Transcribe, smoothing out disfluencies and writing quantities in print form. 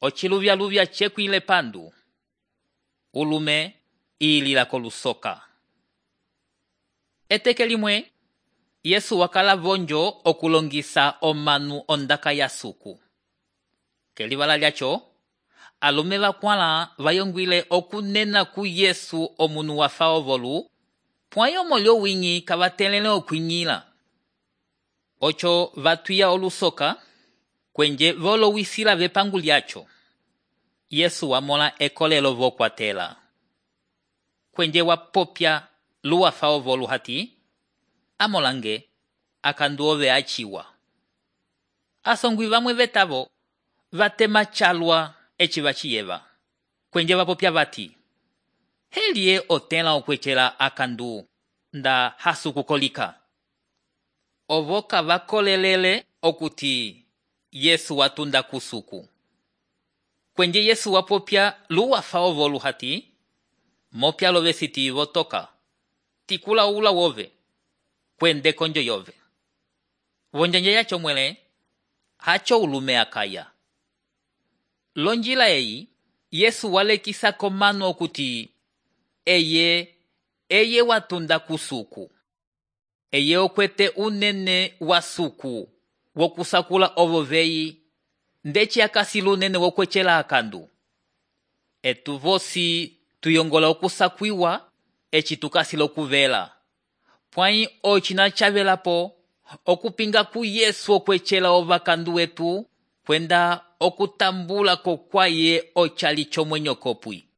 Ociluvyaluvya cekwile pandu. Ulume ilila kolusoka. Eteke limwe, Yesu wakala vonjo okulongisa omanu ondaka ya suku. Kelivala lyacho, alume vakwala vayongwile okunena ku Yesu omunu wafa ovolu, pwayo molyo wingi kavatelele okwinyila. Ocho vatwiya olusoka, kwenje volowisila vepangu lyacho. Yesu wamola ekolelo vokwatela. Kwenje wapopya luwafa ovolu hati, amolange akandu ove achiwa. Asongwi vamwe vetavo vatema chalwa eci vachiyeva. Kwenje vapopya vati, helie otela okwechela akandu nda hasu kukolika. Ovoka vakolelele okuti Yesu watunda kusuku. Kwenje Yesu wapopya luwafa ovolu hati, mopya lovesiti votoka, tikula ula wove, kwende konjo yove. Vonjanja yacho mwele, hacho ulume akaya. Lonjila eyi, Yesu walekisa komano okuti, eye watunda kusuku. Eye okwete unene wa suku, wokusakula ovoveyi, ndeci akasila unene wokwechela akandu. Etu vosi tuyongola okusakwiwa, eci tukasila okuvela. Pwai ochina chavelapo, okupinga ku Yesu okwechela ovakandu wetu, kwenda okutambula kokwaye ochali chomwenyo kopwi.